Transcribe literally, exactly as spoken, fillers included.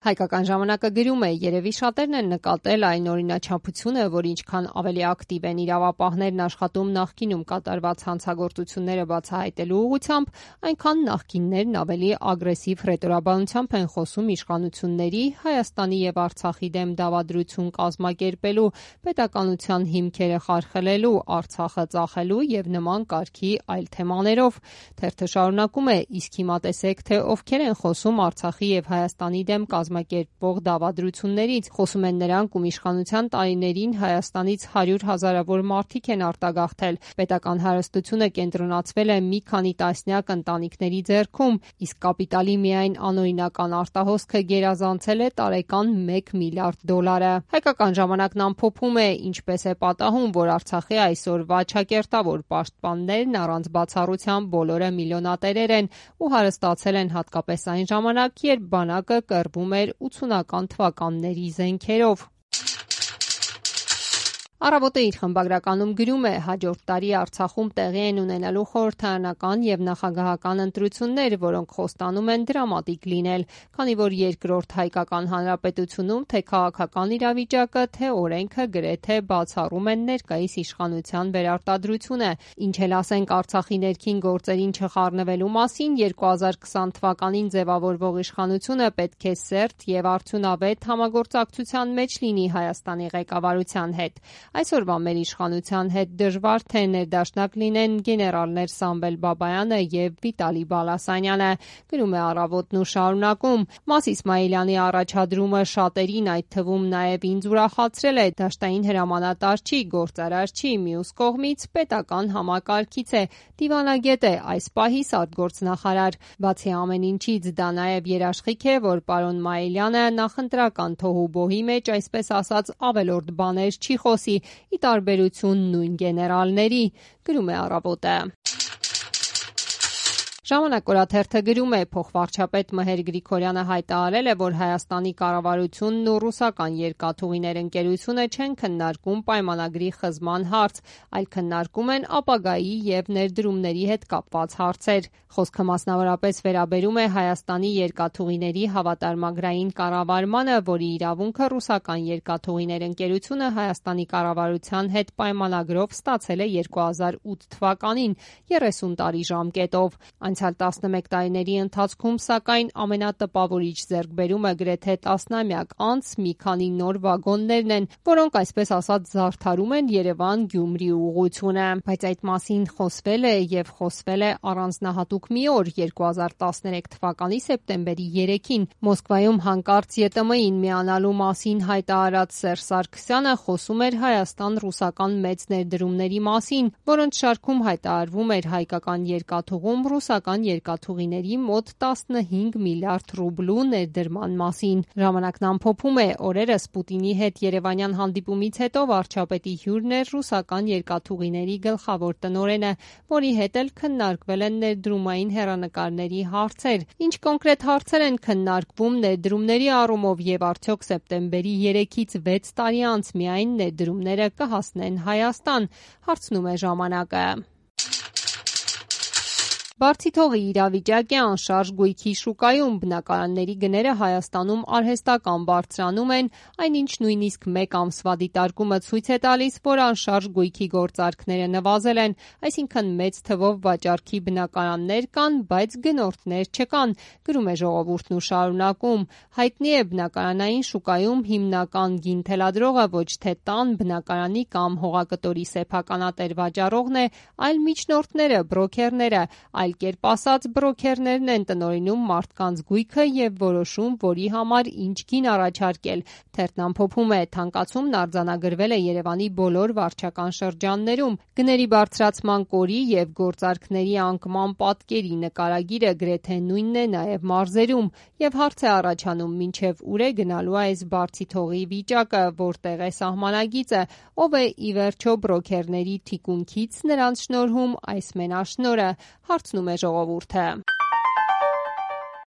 Հայկական ժամանակը գրում է, երևի շատերն են նկատել այն օրինաչափությունը, որ ինչքան ավելի ակտիվ են իրավապահներն աշխատում նախկինում կատարված հանցագործությունները բացահայտելու ուղղությամբ, այնքան նախկիններն ավելի ագրեսիվ հռետորաբանությամբ են խոսում իշխանությունների, Հայաստանի եւ Արցախի դեմ դավադրություն կազմակերպելու, պետականության հիմքերը խարխլելու, Արցախը ծախելու եւ նման կարգի այլ թեմաներով։ Թերթը շարունակում է, իսկ հիմա տեսեք, թե ովքեր են խոսում Արցախի եւ Հայաստանի դեմ կազմակերպվող դավադրություններից, խոսում են նրանք, ում իշխանության տարիներին Հայաստանից հարյուր հազարավոր մարդիկ են արտագաղթել, պետական հարստությունը կենտրոնացվել է մի քանի տասնյակ ընտանիքների ձեռքում, իսկ կապիտալի միայն անօրինական արտահոսքը գերազանցել է տարեկան մեկ միլիարդ դոլարը։ Հայկական ժամանակն ամփոփում է, ինչպես է պատահում, որ Արցախի այսօրվա չակերտավոր պաշտպաններն առանց բացառության բոլորը միլիոնատերեր են ու հարստացել են հատկապես այն ժամանակ, երբ բանակը կռվում էր ութսունական թվականների զենքերով։ Առավոտը իր խմբագրականում գրում է, հաջորդ տարի Արցախում տեղի են ունենալու խորհրդարանական եւ նախագահական ընտրություններ, որոնք խոստանում են դրամատիկ լինել, քանի որ երկրորդ հայկական հանրապետությունում թե քաղաքական իրավիճակը, թե օրենքը գրեթե բացառում են ներկայիս իշխանության վերարտադրությունը, ինչ էլ ասենք Արցախի ներքին գործերին չխառնվելու մասին, երկու հազար քսան թվականին ձևավորվող իշխանությունը պետք է սերտ եւ արդյունավետ համագործակցության մեջ լինի Հայաստանի ղեկավարության հետ։ Այսօրվա մեր իշխանության հետ դժվար թե ներդաշնակ լինեն գեներալներ Սամվել Բաբայանը եւ Վիտալի Բալասանյանը, գրում է Առավոտն ու շարունակում. Մաս Իսմայիլյանի առաջադրումը շատերին, այդ թվում նաեւ ինձ ուրախացրել է, դաշտային հրամանատար չի, գործարար չի, մյուս կողմից պետական համակարգից է, դիվանագետ է, այս պահի արտգործնախարար։ Բացի ամեն ինչից, դա նաեւ երաշխիք է, որ պարոն Մայիլյանը նախընտրական թոհուբոհի մեջ, այսպես ասած, ավելորդ բաներ չի խոսի, ի տարբերություն նույն գեներալների, գրում է Առավոտը։ Ժամանակ օրաթերթը գրում է, փոխվարչապետ Մհեր Գրիգորյանը հայտարարել է, որ Հայաստանի կառավարությունն ու ռուսական երկաթուղիներ ընկերությունը չեն քննարկում պայմանագրի խզման հարց, այլ քննարկում են ապագայի եւ ներդրումների հետ կապված հարցեր։ Խոսքը մասնավորապես վերաբերում է Հայաստանի երկաթուղիների հավատարմագրային կառավարմանը, որի իրավունքը ռուսական երկաթուղիներ ընկերությունը Հայաստանի կառավարության հետ պայմանագրով ստացել է երկու հազար ութ թվականին, երեսուն տարի ժամկետով։ Անցյալ տասնմեկ տարիների ընթացքում, սակայն, ամենատպավորիչ ձեռքբերումը գրեթե տասնամյակ անց մի քանի նոր վագոններն են, որոնք այսպես ասած զարդարում են Երևան-Գյումրի ուղղությունը, բայց այդ մասին խոսվել է եւ խոսվել է առանձնահատուկ մի օր, երկու հազար տասներեք թվականի սեպտեմբերի երեքին, Մոսկվայում հանկարծ Ե Տ Մ-ին միանալու մասին հայտարարած Սերժ Սարգսյանը խոսում էր Հայաստան-ռուսական մեծ ներդրումների մասին, որոնց շարքում հայտարարվում էր հայկական երկաթուղում ռուսական երկաթուղիների մոտ տասնհինգ միլիարդ ռուբլու ներդրման մասին։ Ժամանակն ամփոփում է, օրերս Պուտինի հետ երևանյան հանդիպումից հետո վարչապետի հյուրն էր ռուսական երկաթուղիների գլխավոր տնօրենը, որի հետ էլ քննարկվել են ներդրումային հեռանկարների հարցեր։ Ինչ կոնկրետ հարցեր են քննարկվում ներդրումների առումով եւ արդյոք սեպտեմբերի երեքից վեց տարի անց միայն ներդրումները կհասնեն Հայաստան, հարցնում է Ժամանակը։ Բարձիթողի իրավիճակ է անշարժ գույքի շուկայում, բնակարանների գները Հայաստանում արհեստական բարձրանում են, այնինչ նույնիսկ մեկ ամսվա դիտարկումը ցույց է տալիս, որ անշարժ գույքի գործարքները նվազել են, այսինքն մեծ թվով վաճառքի բնակարաններ կան, բայց գնորդներ չկան, գրում է Ժողովուրդն ու շարունակում. հայտնի է բնակարանային շուկայում հիմնական գին թելադրողը ոչ թե տան, բնակարանի կամ հողակտորի սեփականատեր վաճառողն է, այլ միջնորդները, բրոքերները, այլ կերպ ասած, բրոքերներն են տնօրինում մարդկանց գույքը եւ որոշում, որի համար ինչ գին առաջարկել։ Թերթն ամփոփում է, թանկացումն արձանագրվել է Երևանի բոլոր վարչական շրջաններում։ Գների բարձրացման կորի եւ գործարքների անկման պատկերի նկարագիրը գրեթե նույնն է նաեւ մարզերում, եւ հարց է առաջանում, մինչեւ ուր է գնալու այս բարձիթողի վիճակը, որտեղ է սահմանագիծը, ով է ի վերջո բրոքերների թիկունքից նրանց շնորհում այս մենաշնորհը, հարցնում է Ժողովուրդը։